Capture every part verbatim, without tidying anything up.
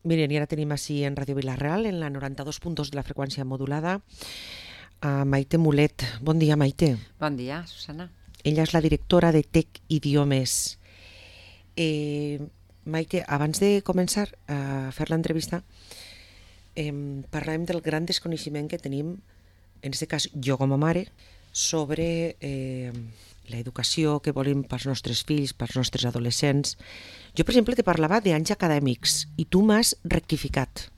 Miren, i ara tenim així en Ràdio Vila-real, en la noranta-dos punt dos de la freqüència modulada, a Maite Mulet. Bon dia, Maite. Bon dia, Susana. Ella és la directora de Tec Idiomes. Eh, Maite, abans de començar a fer l'entrevista, eh, parlàvem del gran desconeixement que tenim, en aquest cas jo com a mare, sobre eh, l'educació que volem pels nostres fills, pels nostres adolescents. Jo, per exemple, te parlava d'anys acadèmics i tu m'has rectificat.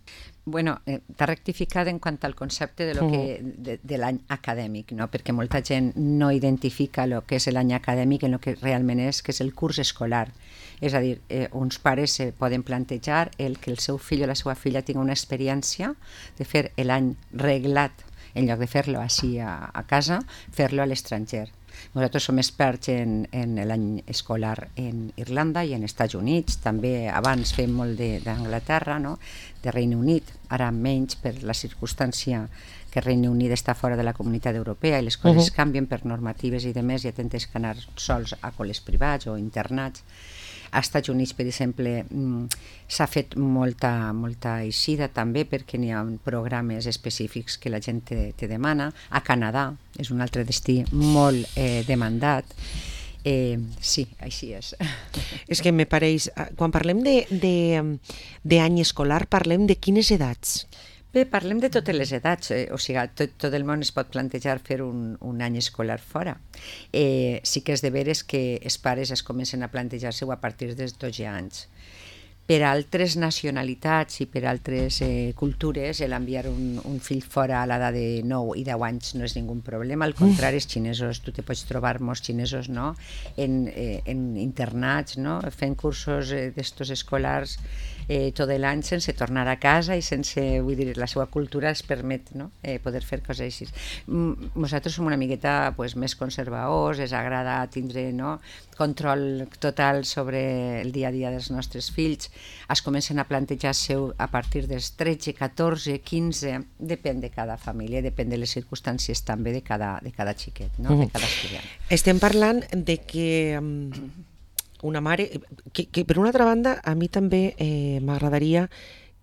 Bueno, eh, t'ha rectificat en quant al concepte de, lo que, de, de l'any acadèmic, no? Perquè molta gent no identifica el que és l'any acadèmic en el que realment és, que és el curs escolar. És a dir, eh, uns pares eh, poden plantejar el que el seu fill o la seva filla tingui una experiència de fer l'any reglat, en lloc de fer-lo així a, a casa, fer-lo a l'estranger. Nosaltres som experts en, en l'any escolar en Irlanda i en Estats Units, també abans fem molt d'Anglaterra, no? De Regne Unit, ara menys per la circumstància que Regne Unit està fora de la Comunitat Europea i les coses uh-huh. canvien per normatives i demés, i tens que anar sols a col·les privats o internats. Als Estats Units, per exemple, s'ha fet molta, molta eixida també perquè n'hi ha programes específics que la gent te, te demana. A Canadà és un altre destí molt eh, demandat. Eh, sí, així és. És que me pareix, quan parlem d'any escolar, parlem de quines edats? Bé, parlem de totes les edats, eh? O sigui, tot, tot el món es pot plantejar fer un, un any escolar fora. Eh, sí que és de veres que els pares es comencen a plantejar-se-ho a partir dels dotze anys. Per altres nacionalitats i per altres eh, cultures, l'enviar un, un fill fora a l'edat de nou i deu anys no és ningú problema. Al contrari, els xinesos, tu te pots trobar molts xinesos, no? en, eh, en internats, no? Fent cursos eh, d'estos escolars eh, tot l'any sense tornar a casa i sense, vull dir, la seva cultura els permet, no? eh, poder fer coses així. Mm, nosaltres som una miqueta pues, més conservadors, ens agrada tindre, no? Control total sobre el dia a dia dels nostres fills. Es comencen a plantejar-se a partir dels tretze, catorze, quinze, depèn de cada família, depèn de les circumstàncies també de cada, de cada xiquet, no? De cada estudiant. Estem parlant de que um, una mare, que, que per una altra banda a mi també eh, m'agradaria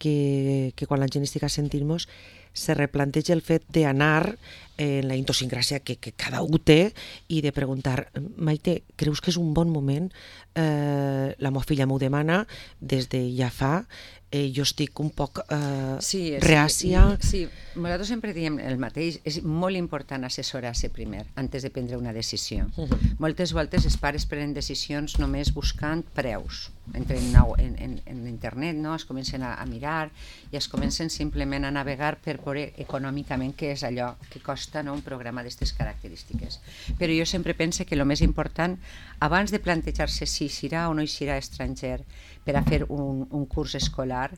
que, que quan la gent estigui sentint-nos se replanteja el fet d'anar en la idiosincràsia que, que cada un té i de preguntar, Maite, creus que és un bon moment? Eh, la meva filla m'ho demana des de ja fa, eh, jo estic un poc eh, sí, reàcia. Sí, sí, nosaltres sempre diem el mateix, és molt important assessorar-se primer, antes de prendre una decisió. Uh-huh. Moltes voltes els pares prenen decisions només buscant preus. Entren en, en, en internet, no? Es comencen a, a mirar i es comencen simplement a navegar per veure econòmicament què és allò que costa, no? Un programa d'aquestes característiques. Però jo sempre penso que el més important, abans de plantejar-se si serà o no serà estranger per a fer un, un curs escolar,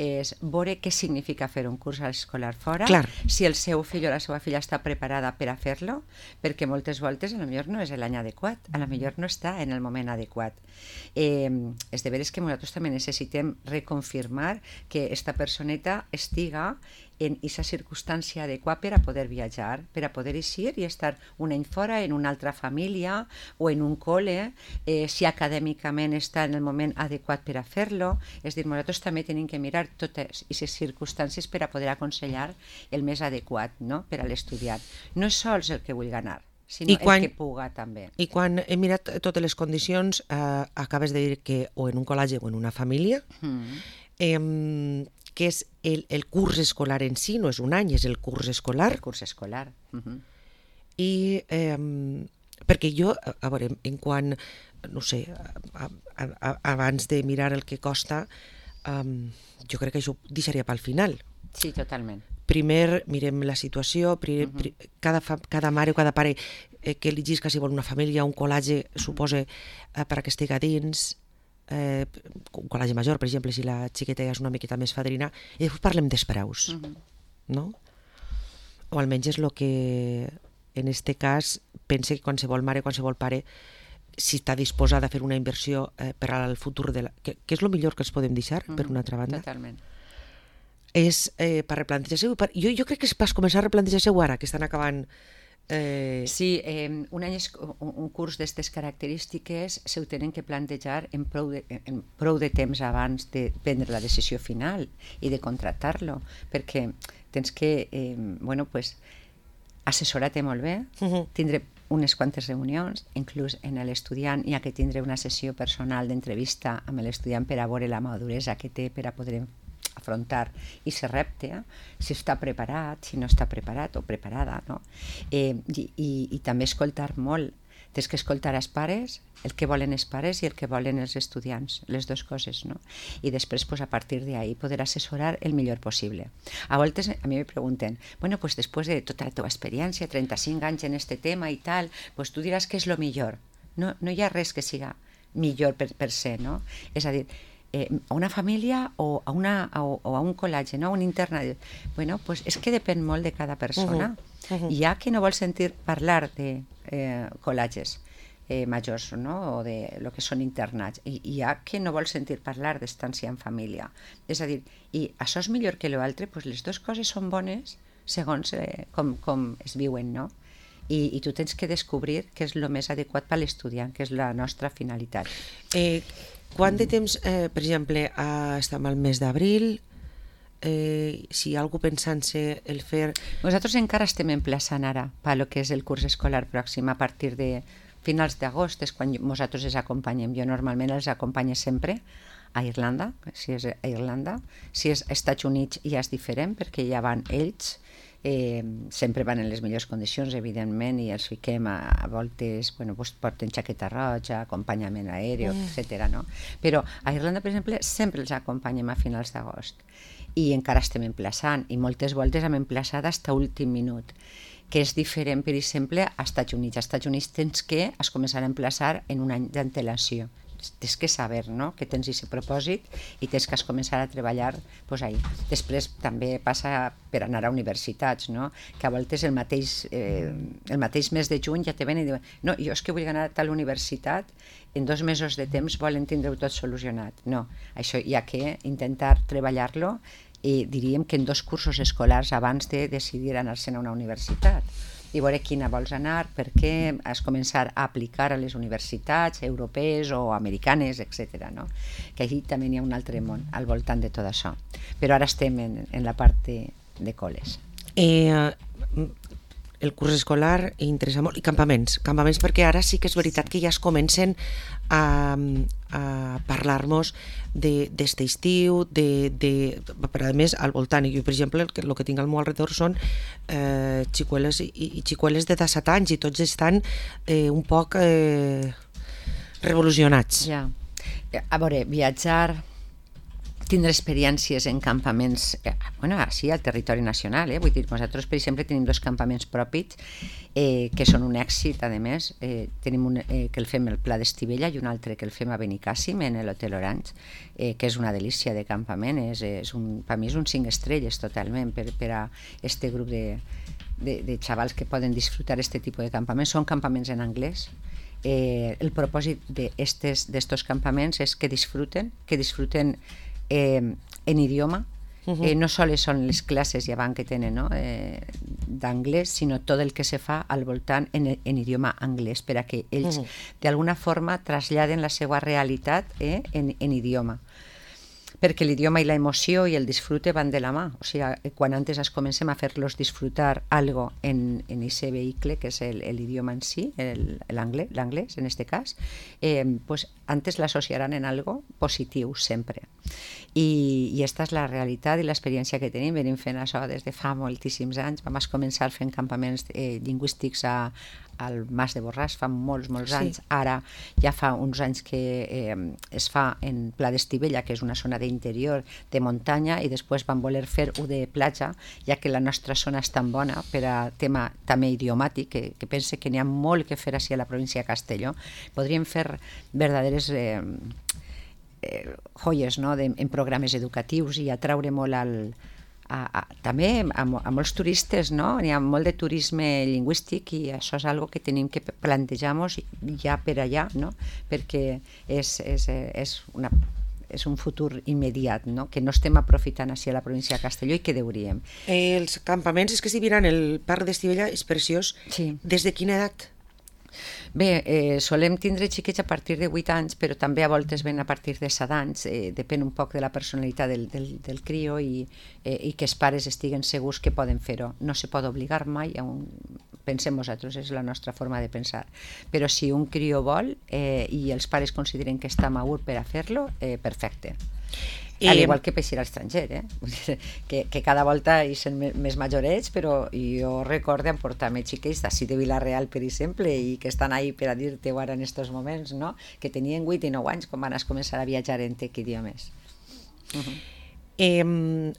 és veure què significa fer un curs escolar fora, Clar. Si el seu fill o la seva filla està preparada per a fer-lo, perquè moltes voltes a lo millor no és l'any adequat, a lo millor no està en el moment adequat. Eh, és de veres que nosaltres també necessitem reconfirmar que esta personeta estiga en aquesta circumstància adequada per a poder viatjar, per a poder eixir i estar un any fora en una altra família o en un col·le, eh, si acadèmicament està en el moment adequat per a fer-lo. És dir, nosaltres també tenim que mirar totes aquestes circumstàncies per a poder aconsellar el més adequat, no? Per a l'estudiant. No és sols el que vull ganar, sinó quan, el que puga també. I quan he mirat totes les condicions, eh, acabes de dir que o en un col·legi o en una família, mm. eh, que és el, el curs escolar en si, no és un any, és el curs escolar. El curs escolar. Uh-huh. I eh, perquè jo, a veure, en quan, no sé, a, a, a, abans de mirar el que costa, um, jo crec que això ho deixaria pel final. Sí, totalment. Primer mirem la situació, primer, uh-huh. pri, cada, fa, cada mare o cada pare eh, que elegís que si vol una família, un col·legi, uh-huh. suposa eh, per a que estigui dins, eh, un col·legi major, per exemple, si la xiqueta és una miqueta més fadrina, i després parlem dels preus, uh-huh. no? O almenys és el que, en este cas, pense que qualsevol mare, qualsevol pare, si està disposada a fer una inversió eh, per al futur, de la, que, que és el millor que els podem deixar, uh-huh. per una altra banda. Totalment. És eh, per replantejar-se-ho. Jo, jo crec que és per començar a replantejar-se-ho ara, que estan acabant Eh... Sí, eh, un, any, un, un curs d'aquestes característiques se ho tenen que plantejar en prou, de, en prou de temps abans de prendre la decisió final i de contractar-lo, perquè tens que, eh, bueno, pues, assessorar-te molt bé, uh-huh. tindre unes quantes reunions, inclús en l'estudiant hi ha que tindre una sessió personal d'entrevista amb l'estudiant per a veure la maduresa que té per a poder afrontar i ser repte, eh? Si està preparat, si no està preparat o preparada, no? Eh, i, i, I també escoltar molt. Tens que escoltar els pares, el que volen els pares i el que volen els estudiants, les dues coses, no? I després, pues, a partir d'ahí, poder assessorar el millor possible. A voltes a mi me pregunten, bueno, pues després de tota la teva experiència, trenta-cinc anys en este tema i tal, pues tu diràs que és lo millor. No, no hi ha res que siga millor per, per ser, no? És a dir, Eh, a una família o a, una, o, o a un col·legi, no? Un internat. Bueno, pues és que depèn molt de cada persona. Uh-huh. Uh-huh. Hi ha qui no vol sentir parlar de eh, col·legis eh, majors, no? O de lo que són internats. I hi ha qui no vol sentir parlar d'estància en família. És a dir, i això és millor que l'altre, pues les dues coses són bones segons eh, com, com es viuen, no? I, i tu tens que descobrir què és el més adequat per a l'estudiant, que és la nostra finalitat. Eh, quant de temps, eh, per exemple, eh, estem al mes d'abril, eh, si hi ha algú pensant-se el fer... Nosaltres encara estem emplaçant ara per lo que és el curs escolar pròxim a partir de finals d'agost, és quan nosaltres els acompanyem. Jo normalment els acompanyo sempre a Irlanda, si és a Irlanda. Si és als Estats Units ja és diferent, perquè ja van ells. Eh, sempre van en les millors condicions, evidentment, i els fiquem a, a voltes, bueno, pues, porten jaqueta roja, acompanyament aeri, mm. etcètera, no? Però a Irlanda, per exemple, sempre els acompanyem a finals d'agost i encara estem emplaçant, i moltes voltes hem emplaçat fins a últim minut, que és diferent, per exemple, als Estats Units. Als Estats Units tens que es començar a emplaçar en un any d'antelació. Tens que saber, no?, que tens aquest propòsit i tens que començar a treballar pues, ahí. Després també passa per anar a universitats, no?, que a voltes el mateix, eh, el mateix mes de juny ja te ven i diuen no, jo és que vull anar a tal universitat, en dos mesos de temps volen tindre-ho tot solucionat. No, això hi ha que intentar treballar-lo i diríem que en dos cursos escolars abans de decidir anar-se'n a una universitat i veure quina vols anar, per què has començar a aplicar a les universitats europees o americanes, etcètera, no? Que allí també hi ha un altre món al voltant de tot això. Però ara estem en, en la part de, de col·les. Eh, el curs escolar interessa molt, i campaments, campaments perquè ara sí que és veritat que ja es comencen a, a parlar-nos d'este estiu, de, de, però a més al voltant, i jo per exemple el que, el que tinc al meu alrededor són eh, xicueles i, i xicueles de disset anys i tots estan eh, un poc eh, revolucionats. Ja. A veure, viatjar, tindre experiències en campaments, eh, bueno, sí, al territori nacional, eh? Vull dir, nosaltres, per exemple, tenim dos campaments propis eh, que són un èxit, a més. Eh, tenim un eh, que el fem al Pla d'Estivella i un altre que el fem a Benicàssim, en l'Hotel Orange, eh, que és una delícia de campament. És, és un, per mi és un cinc estrelles totalment per, per a este grup de, de, de xavals que poden disfrutar aquest tipus de campaments. Són campaments en anglès. Eh, el propòsit d'estos campaments és que disfruten, que disfruten Eh, en idioma, uh-huh. eh, no sols són les classes llevant que tenen, no? eh, d'anglès, sinó tot el que se fa al voltant en, en idioma anglès, per a que ells uh-huh. d'alguna forma traslladen la seva realitat eh, en, en idioma. Perquè l'idioma i la emoció i el disfrute van de la mà. O sigui, quan antes es comencem a fer-los disfrutar algo en en aquest vehicle, que és l'idioma en si, l'anglès, l'anglès en aquest cas, eh, pues antes l'associaran en algo positiu sempre. I, i esta és la realitat i l'experiència que tenim. Venim fent això des de fa moltíssims anys. Vam començar fent campaments eh, lingüístics a, al Mas de Borràs fa molts, molts anys. Sí. Ara ja fa uns anys que eh, es fa en Pla d'Estivella, que és una zona d'interior, de muntanya, i després van voler fer-ho de platja, ja que la nostra zona és tan bona per a tema també idiomàtic, que, que pense que n'hi ha molt que fer així a la província de Castelló. Podríem fer verdaderes eh, eh, joies, no?, de, en programes educatius i atraure molt al A, a, també a, a molts turistes, no? Hi ha molt de turisme lingüístic i això és algo que tenim que plantejar-nos ja per allà, no? Perquè és, és, és una, és un futur immediat, no? Que no estem aprofitant així a la província de Castelló i que deuríem. Eh, els campaments, és que si miran el parc d'Estivella, és preciós. Sí. Des de quina edat? Bé, eh, solem tindre xiquets a partir de vuit anys, però també a voltes ven a partir de set anys, eh, depèn un poc de la personalitat del, del, del crio i, eh, i que els pares estiguen segurs que poden fer-ho. No se pot obligar mai a un... Pensem nosaltres, és la nostra forma de pensar. Però si un crio vol eh, i els pares consideren que està madur per a fer-lo, eh, perfecte. I... Al igual que peixir a l'estranger, eh? que, que cada volta hi són més majorets, però jo recordo emportar-me xiquets d'ací de Vila-real, per exemple, i que estan ahí per a dir-te ara en aquests moments, no? Que tenien vuit i nou anys quan van a començar a viatjar en tec idiomes. Uh-huh. Eh,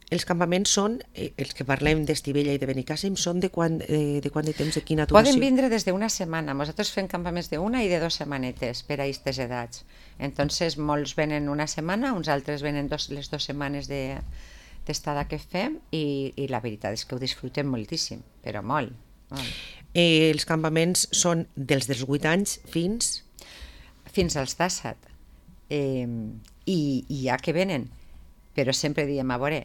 els campaments són, eh, els que parlem d'Estivella i de Benicàssim, són de quant, eh, de quant de temps, de quina duració? Poden vindre des d'una setmana. Nosaltres fem campaments d'una i de dues setmanetes per a aquestes edats. Entonces, molts venen una setmana, uns altres venen dos, les dues setmanes de, d'estada que fem i, i la veritat és que ho disfrutem moltíssim, però molt. molt. Eh, els campaments són dels dels vuit anys fins... Fins als disset. Eh, i, I ja que venen. Però sempre diem, a veure,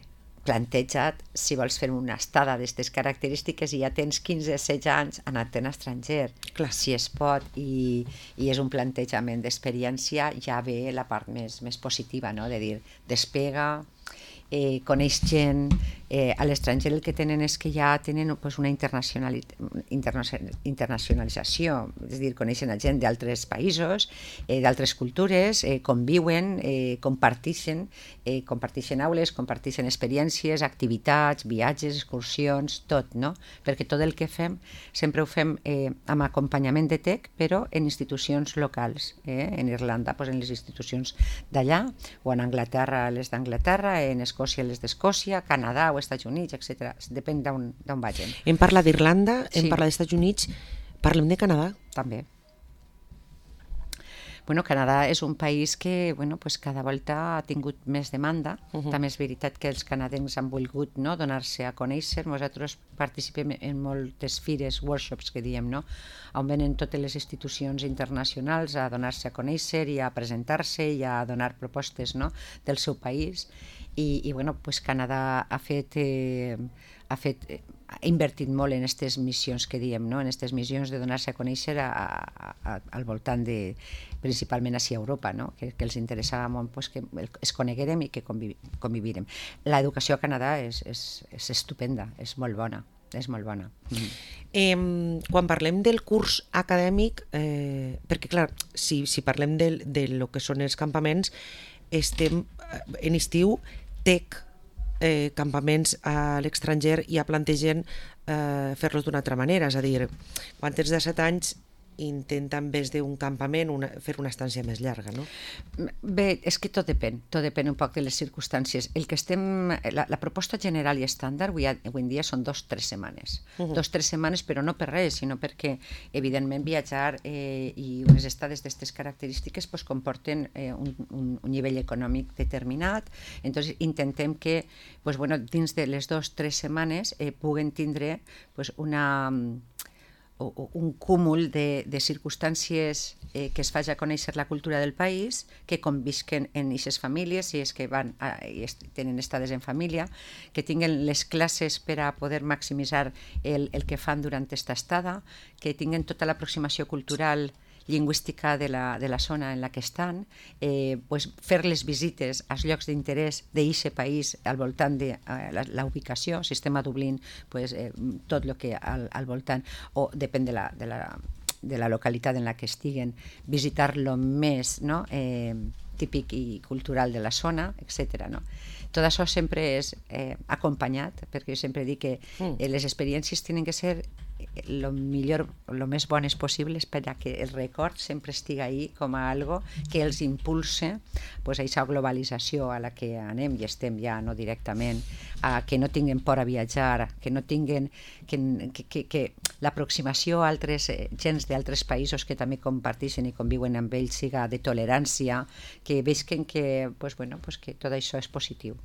planteja't si vols fer una estada d'aquestes característiques i ja tens quinze o setze anys anant-te'n a estranger. Clar. Si es pot, i, i és un plantejament d'experiència, ja ve la part més, més positiva, no? De dir, despega, eh, coneix gent, eh, a l'estranger el que tenen és que ja tenen pues, una internacionali internacionalització, és a dir, coneixen a gent d'altres països, eh, d'altres cultures, eh, conviuen, eh, comparteixen, eh, comparteixen aules, comparteixen experiències, activitats, viatges, excursions, tot, no? Perquè tot el que fem sempre ho fem eh, amb acompanyament de tec, però en institucions locals, eh? En Irlanda, pues, en les institucions d'allà, o en Anglaterra, les d'Anglaterra, en Escòcia, les d'Escòcia, Canadà o Estats Units, etcètera. Depèn d'on vagin. Hem parlat d'Irlanda, hem Sí. parlat dels Estats Units, parlem de Canadà. També. Bueno, Canadà és un país que bueno, pues cada volta ha tingut més demanda. Uh-huh. També és veritat que els canadencs han volgut, no, donar-se a conèixer. Nosaltres participem en moltes fires, workshops que diem, no? On venen totes les institucions internacionals a donar-se a conèixer i a presentar-se i a donar propostes, no, del seu país. I, i bueno, pues Canadà ha fet, eh, ha fet eh, ha invertit molt en aquestes missions que diem, no? En aquestes missions de donar-se a conèixer a, a, a, al voltant de, principalment així a Europa, no? que, que els interessava molt pues, que es coneguérem i que conviv, convivirem. L'educació a Canadà és, és, és estupenda, és molt bona, és molt bona. Mm. Eh, quan parlem del curs acadèmic, eh, perquè clar, si, si parlem de, de lo que són els campaments, estem en estiu, tec, eh, campaments a l'estranger i ja plantegen eh, fer-los d'una altra manera, és a dir, quan tens de set anys intenta en vez d'un campament una, fer una estància més llarga, no? Bé, és que tot depèn, tot depèn un poc de les circumstàncies. El que estem, la, la proposta general i estàndard avui, avui en dia són dos o tres setmanes. Uh-huh. Dos o tres setmanes, però no per res, sinó perquè, evidentment, viatjar eh, i unes estades d'aquestes característiques pues, comporten eh, un, un, un nivell econòmic determinat. Entonces, intentem que pues, bueno, dins de les dues o tres setmanes eh, puguen tindre pues, una... o un cúmul de, de circumstàncies eh, que es faci a conèixer la cultura del país, que convisquen en aquestes famílies, si és que van a, i est, tenen estades en família, que tinguen les classes per a poder maximitzar el, el que fan durant aquesta estada, que tinguen tota l'aproximació cultural lingüística de la, de la zona en la que estan, eh, pues fer les visites als llocs d'interès d'aquest país al voltant de eh, la, la ubicació, si estem a Dublín, pues, eh, tot el que al, al voltant, o depèn de la, de, la, de la localitat en la que estiguen, visitar-lo més, no? eh, típic i cultural de la zona, etcètera. No? Tot això sempre és eh, acompanyat, perquè jo sempre dic que eh, les experiències tenen que ser lo millor, lo més bones possibles per a que el record sempre estigui ahí com a algo que els impulse pues, a aquesta globalització a la que anem i estem ja no directament, a que no tinguin por a viatjar, que no tinguin que, que, que, que l'aproximació a altres eh, gens d'altres països que també comparteixen i conviuen amb ells siga de tolerància, que veuen que, pues, bueno, pues, que tot això és positiu.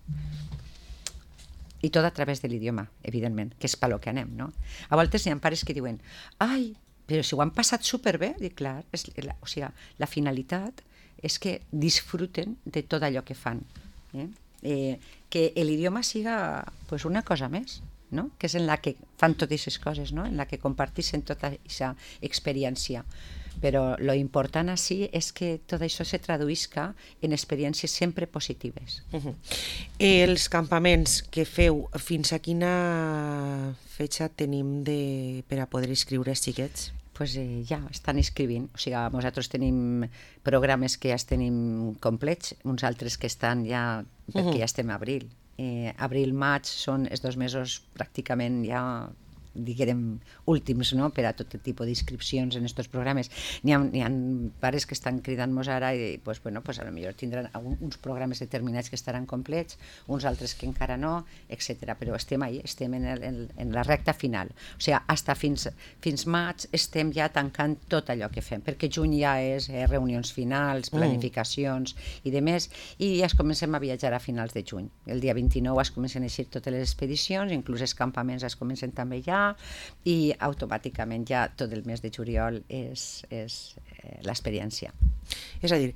I tot a través de l'idioma, evidentment, que és pel que anem, no? A voltes hi ha pares que diuen ai, però si ho han passat superbé, dic, clar, és la, o sigui, la finalitat és que disfruten de tot allò que fan. Eh? Eh, que l'idioma siga pues, una cosa més, no? Que és en la que fan totes aquestes coses, no? En la que comparteixen tota aquesta experiència. Però lo important així és que tot això se traduïsca en experiències sempre positives. Uh-huh. Els campaments que feu, fins a quina fetge tenim de, per a poder inscriure els xiquets? Pues, eh, ja estan escrivint, o sigui, nosaltres tenim programes que ja els tenim complets, uns altres que estan ja, perquè uh-huh. ja estem a abril. Eh, abril-maig són els dos mesos pràcticament ja diguem, últims, no?, per a tot tipus d'inscripcions en aquests programes. N'hi ha, n'hi ha pares que estan cridant-nos ara i, pues, bueno, pues, a lo millor tindran uns programes determinats que estaran complets, uns altres que encara no, etcètera. Però estem ahí, estem en, el, en, en la recta final. O sigui, hasta fins, fins maig estem ja tancant tot allò que fem, perquè juny ja és eh, reunions finals, planificacions mm. i de més, i ja es comencem a viatjar a finals de juny. El dia vint-i-nou es comencen a eixir totes les expedicions, inclús els campaments es comencen també ja, i automàticament ja tot el mes de juliol és, és eh, l'experiència. És a dir,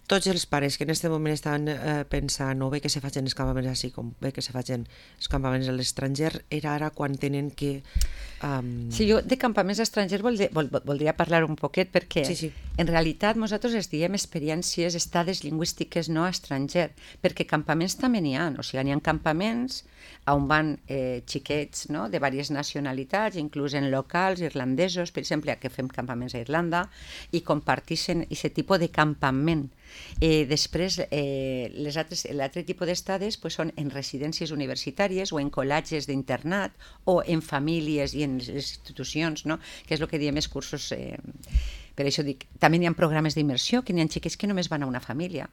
tots els pares que en aquest moment estan eh, pensant o bé que se facin els campaments així com bé que se facin els campaments a l'estranger, era ara quan tenen que... Um... Sí, jo de campaments estrangers vol, vol, voldria parlar un poquet perquè sí, sí. en realitat nosaltres es diem experiències, estades lingüístiques no estranger, perquè campaments també n'hi ha, o sigui, n'hi ha campaments on van eh, xiquets, no?, de diverses nacionalitats, inclús en locals irlandesos, per exemple, que fem campaments a Irlanda, i comparteixen aquest tipus de campament. Eh, després, eh, l'altre tipus d'estades pues, són en residències universitàries o en col·legis d'internat o en famílies i en les institucions, no?, que és el que diem els cursos. Eh, per això dic, també hi ha programes d'immersió, que n'hi ha xiquets que només van a una família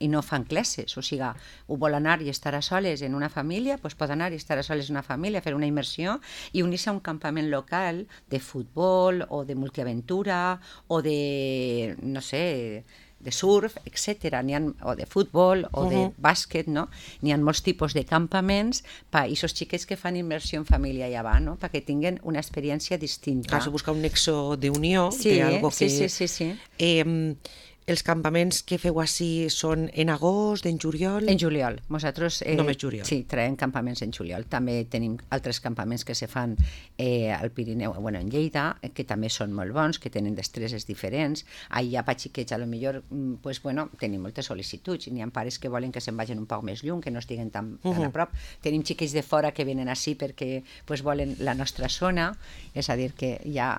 i no fan classes, o sigui, ho vol anar i estar a soles en una família, doncs pot anar i estar a soles en una família, fer una immersió i unir-se a un campament local de futbol o de multiaventura o de, no sé, de surf, etcètera, o de futbol o de bàsquet, no? N'hi ha molts tipus de campaments per a aquests xiquets que fan immersió en família allà va, no?, perquè tinguin una experiència distinta. Cal buscar un nexo d'unió, sí, de algo que... Sí, sí, sí, sí. Eh, els campaments que feu així són en agost, en juliol? En juliol. Nosaltres... Eh, Només juliol. Sí, traiem campaments en juliol. També tenim altres campaments que se fan eh, al Pirineu, bueno, en Lleida, que també són molt bons, que tenen destreses diferents. Allà per xiquets, a lo millor, pues, bueno, tenim moltes sol·licituds. N'hi ha pares que volen que se'n vagin un poc més lluny, que no estiguen tan, tan uh-huh. a prop. Tenim xiquets de fora que venen així perquè pues, volen la nostra zona, és a dir, que ja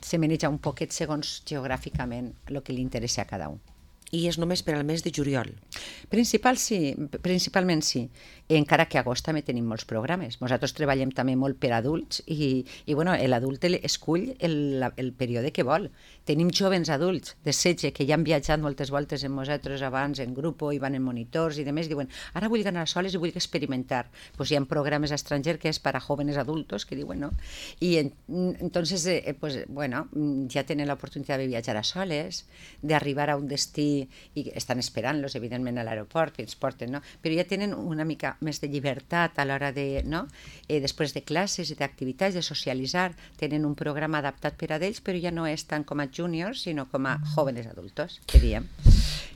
se maneja un poquet segons geogràficament el que li interessa a cada un. I és només per al mes de juliol? Principal, sí, principalment sí, encara que a agost també tenim molts programes. Nosaltres treballem també molt per adults i, i bueno, l'adult escull el, el període que vol. Tenim jovens adults de setze que ja han viatjat moltes voltes amb nosaltres abans en grup i van en monitors i demés, diuen, ara vull anar soles i vull experimentar. Pues hi ha programes estrangers que és per a jóvenes adultos, que diuen, no? I en, entonces, eh, pues, bueno, ja tenen l'oportunitat de viatjar a soles, d'arribar a un destí i estan esperant-los, evidentment, a l'aeroport, que ens porten, no? Però ja tenen una mica més de llibertat a l'hora de, no? Eh, després de classes i d'activitats, de socialitzar, tenen un programa adaptat per a ells, però ja no és tant com a juniors, sinó com a jóvenes adultos, que diem.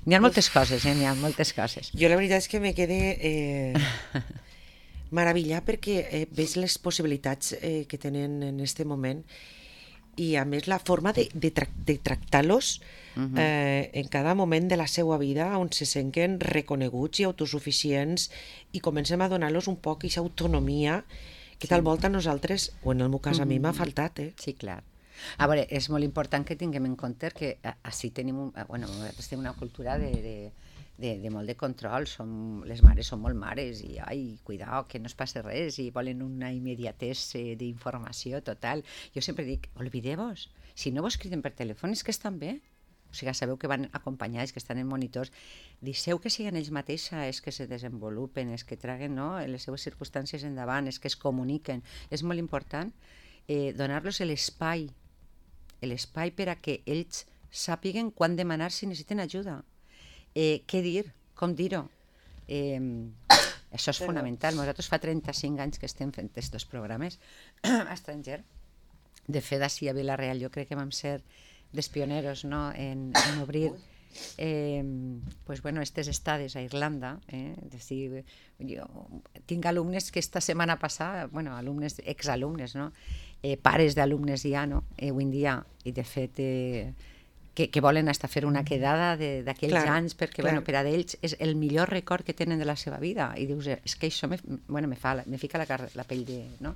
N'hi ha moltes coses, eh? N'hi ha moltes coses. Jo la veritat és que me quedé eh, meravellat perquè eh, veig les possibilitats eh, que tenen en aquest moment i a més la forma de, de, tra de tractar-los uh-huh. eh, en cada moment de la seva vida on se senten reconeguts i autosuficients i comencem a donar-los un poc aquesta autonomia que sí. tal volta a nosaltres, o en el meu cas uh-huh. a mi m'ha faltat. Eh? Sí, clar. A veure, és molt important que tinguem en compte que així tenim, un, bueno, tenim una cultura de... de De, de molt de control, som, les mares són molt mares i ai, cuidao, que no es passi res i volen una immediatesa d'informació total. Jo sempre dic, oblideu-vos, si no vos criden per telèfon és que estan bé, o sigui, sabeu que van acompanyats, que estan en monitors, deixeu que siguin ells mateixos, és que se desenvolupen, és que traguen, no?, les seves circumstàncies endavant, és que es comuniquen. És molt important eh, donar-los l'espai, l'espai per a que ells sàpiguen quan demanar si necessiten ajuda. Eh, què dir, com dir-ho. Eh, això és fonamental. Nosaltres fa trenta-cinc anys que estem fent aquests programes estranger. De fet, així a Vila-real jo crec que vam ser dels pioneros, no?, en, en obrir eh, pues bueno, estes estades a Irlanda, eh, és dir, jo tinc alumnes que esta setmana passada, bueno, alumnes, exalumnes, no? Eh, pares d'alumnes ja, no? Eh, avui en dia, i de fet... Eh, que, que volen hasta fer una quedada d'aquells anys, perquè bueno, per a ells és el millor record que tenen de la seva vida, i dius, és que això me, bueno, me, fa, me fica la, la pell de, no?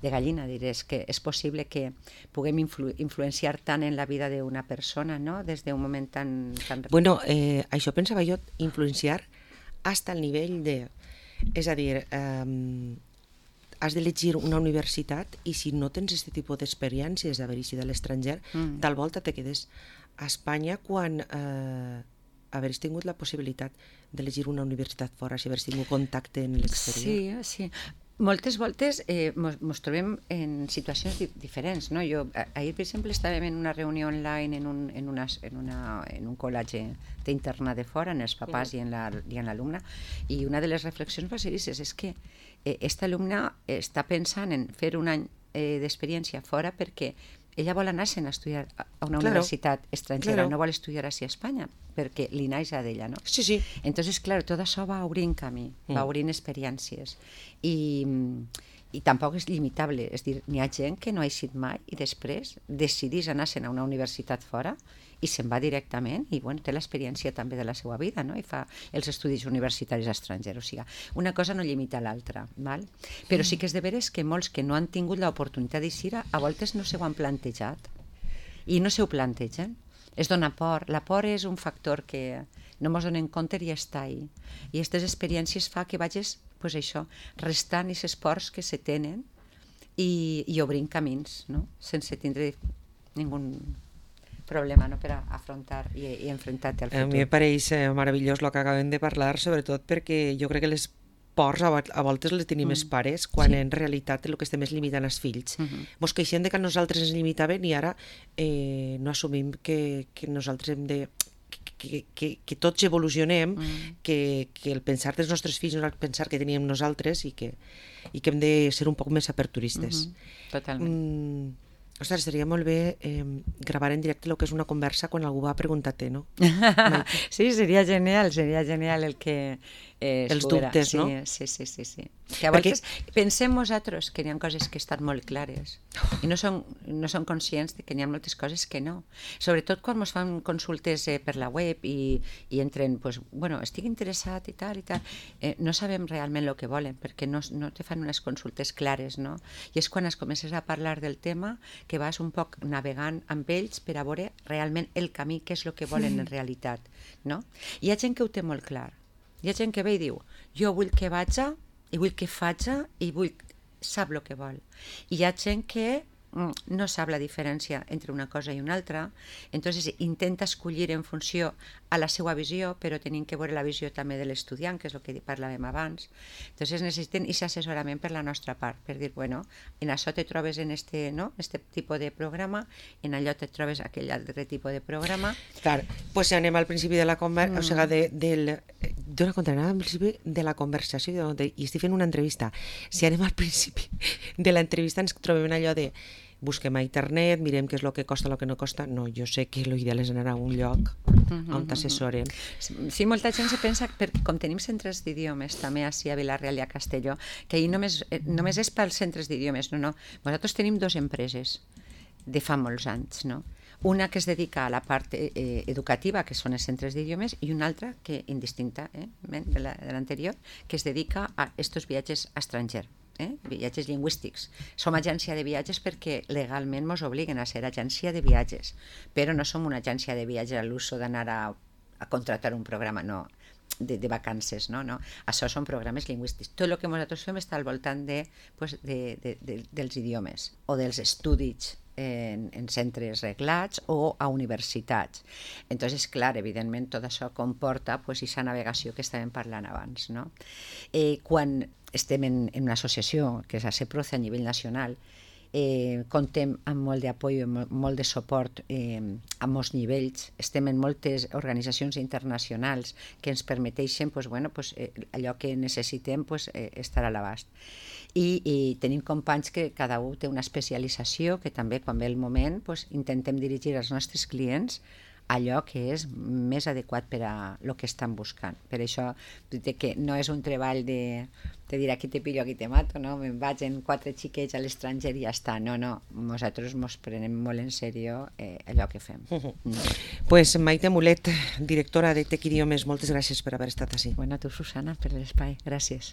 de gallina, diré, és que és possible que puguem influ, influenciar tant en la vida d'una persona, no? Des d'un moment tan... tan... Bueno, eh, això pensava jo, influenciar hasta el nivell de... És a dir, eh, has d'elegir una universitat i si no tens aquest tipus d'experiències d'haver-hi de l'estranger, mm. tal volta te quedes a Espanya quan eh, haveres tingut la possibilitat d'elegir una universitat fora, si haveres tingut contacte en l'exterior. Sí, sí. Moltes voltes eh, mos, mos trobem en situacions di diferents, no? Jo, ahir, per exemple, estàvem en una reunió online en un, en una, en una, en un col·legi d'interna de fora, en els papàs sí. i en l'alumne, i una de les reflexions va ser dir, és que eh, esta alumna està pensant en fer un any eh, d'experiència fora perquè ella vol anar-se'n a estudiar a una claro, universitat estrangera, claro. no vol estudiar així a Espanya, perquè li naix a d'ella, no? Sí, sí. Entonces, claro, tot això va obrint camí, mm. va obrint experiències. I, i tampoc és limitable, és dir, n'hi ha gent que no ha eixit mai i després decidís anar-se'n a una universitat fora i se'n va directament i bueno, té l'experiència també de la seva vida, no? I fa els estudis universitaris estrangers. O sigui, una cosa no limita l'altra, val? Però sí que és de veres que molts que no han tingut l'oportunitat d'eixir a voltes no s'ho han plantejat i no s'ho plantegen. Es dona por. La por és un factor que no mos donem compte i està ahí. I aquestes experiències fa que vagis, pues això, restant aquests esports que se tenen i, i obrint camins, no? Sense tindre ningú problema, no? Per a afrontar i, i enfrontar-te al futur. A mi em pareix meravellós el que acabem de parlar, sobretot perquè jo crec que les pors a voltes les tenim els mm. pares, quan sí. en realitat el que estem és limitant els fills. Mm -hmm. Mos queixem de que nosaltres ens limitaven i ara eh, no assumim que, que nosaltres hem de... Que, que, que tots evolucionem, mm. que, que el pensar dels nostres fills no és el pensar que teníem nosaltres i que, i que hem de ser un poc més aperturistes. Mm -hmm. Totalment. Mm, ostres, estaria molt bé eh, gravar en directe el que és una conversa quan algú va a preguntar-te, no? Sí, seria genial, seria genial el que... Eh, els dubtes, sí, no? Sí, sí, sí, sí. Que a vegades Perquè... pensem nosaltres que hi ha coses que estan molt clares i no som, no som conscients de que hi ha moltes coses que no. Sobretot quan ens fan consultes eh, per la web i, i entren, pues, bueno, estic interessat i tal i tal, eh, no sabem realment el que volen perquè no, no te fan unes consultes clares, no? I és quan es comences a parlar del tema que vas un poc navegant amb ells per a veure realment el camí, què és el que volen en realitat, no? Hi ha gent que ho té molt clar. Hi ha gent que ve i diu, jo vull que vaja i vull que faja i vull... sap el que vol. I hi ha gent que no sap la diferència entre una cosa i una altra, entonces intenta escollir en funció a la seva visió, però tenim que veure la visió també de l'estudiant, que és el que parlàvem abans. Entonces necessiten aquest assessorament per la nostra part, per dir, bueno, en això te trobes en este, no? este tipus de programa, en allò te trobes aquell altre tipus de programa. Clar, pues si anem al principi de la conversa, mm. o sigui, de, del... Dóna compte, anem al principi de la conversació, de, i estic fent una entrevista. Si anem al principi de l'entrevista ens trobem allò de busquem a internet, mirem què és el que costa, el que no costa. No, jo sé que l'ideal és anar a un lloc on t'assessoren. Sí, molta gent se pensa, perquè com tenim centres d'idiomes també així a Vila-real i a Castelló, que ahir només, només és pels centres d'idiomes, no, no. Nosaltres tenim dues empreses de fa molts anys, no? Una que es dedica a la part eh, educativa, que són els centres d'idiomes, i una altra, que indistintament eh, de l'anterior, que es dedica a estos viatges a estranger. Eh? Viatges lingüístics. Som agència de viatges perquè legalment ens obliguen a ser agència de viatges, però no som una agència de viatges a l'uso d'anar a, a contratar un programa, no, de, de vacances, no, no. Això són programes lingüístics. Tot el que nosaltres fem està al voltant de, pues, de, de, de, dels idiomes o dels estudis en, en centres reglats o a universitats. Entonces, clar, evidentment, tot això comporta pues, aquesta navegació que estàvem parlant abans, no? Eh, quan estem en, en una associació, que és a CEPROCE a nivell nacional, eh, contem amb molt d'apoyo, molt de suport eh, a molts nivells, estem en moltes organitzacions internacionals que ens permeteixen pues, bueno, pues, eh, allò que necessitem pues, eh, estar a l'abast. I, i tenim companys que cada un té una especialització que també quan ve el moment pues, intentem dirigir els nostres clients allò que és més adequat per a el que estan buscant. Per això, que no és un treball de, de dir aquí te pillo, aquí te mato, no? Me'n vaig en quatre xiquets a l'estranger i ja està. No, no, nosaltres ens prenem molt en sèrio eh, allò que fem. Uh -huh. mm. Pues Maite Mulet, directora de Tec Idiomes, moltes gràcies per haver estat així. Bueno, a tu, Susana, per l'espai. Gràcies.